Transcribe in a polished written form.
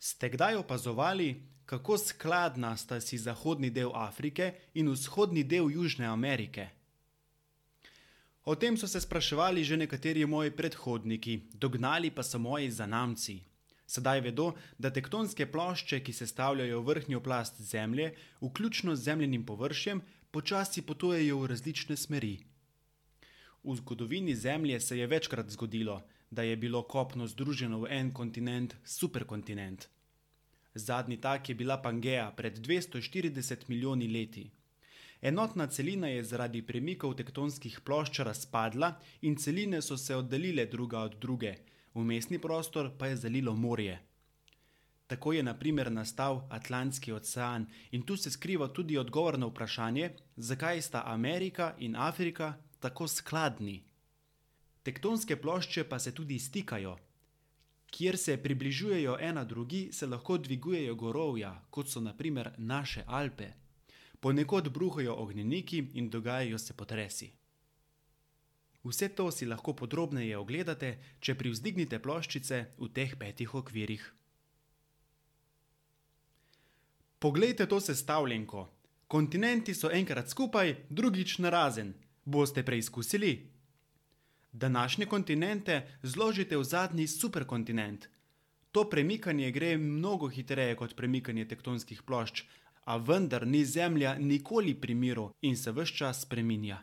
Ste kdaj opazovali, kako skladna sta si zahodni del Afrike in vzhodni del Južne Amerike? O tem so se spraševali že nekateri moji predhodniki, dognali pa so moji zanamci. Sedaj vedo, da tektonske plošče, ki sestavljajo vrhnjo plast Zemlje, vključno z zemljinim površjem, počasi potujejo v različne smeri. V zgodovini Zemlje se je večkrat zgodilo, da je bilo kopno združeno v en kontinent, superkontinent. Zadnji tak je bila Pangeja pred 240 milijoni leti. Enotna celina je zaradi premikov tektonskih plošč razpadla in celine so se oddaljile druga od druge, vmesni prostor pa je zalilo morje. Tako je na primer nastal Atlantski ocean in tu se skriva tudi odgovor na vprašanje, zakaj sta Amerika in Afrika tako skladni. Tektonske plošče pa se tudi stikajo. Kjer se približujejo ena drugi, se lahko dvigujejo gorovja, kot so na primer naše Alpe. Ponekod bruhajo ognjeniki in dogajajo se potresi. Vse to si lahko podrobneje ogledate, če privzdignite ploščice v teh 5 okvirih. Poglejte to sestavljenko. Kontinenti so enkrat skupaj, drugič narazen. Boste preizkusili? Današnje kontinente zložite v zadnji superkontinent. To premikanje gre mnogo hitreje kot premikanje tektonskih plošč, a vendar ni Zemlja nikoli pri miru in se ves čas spreminja.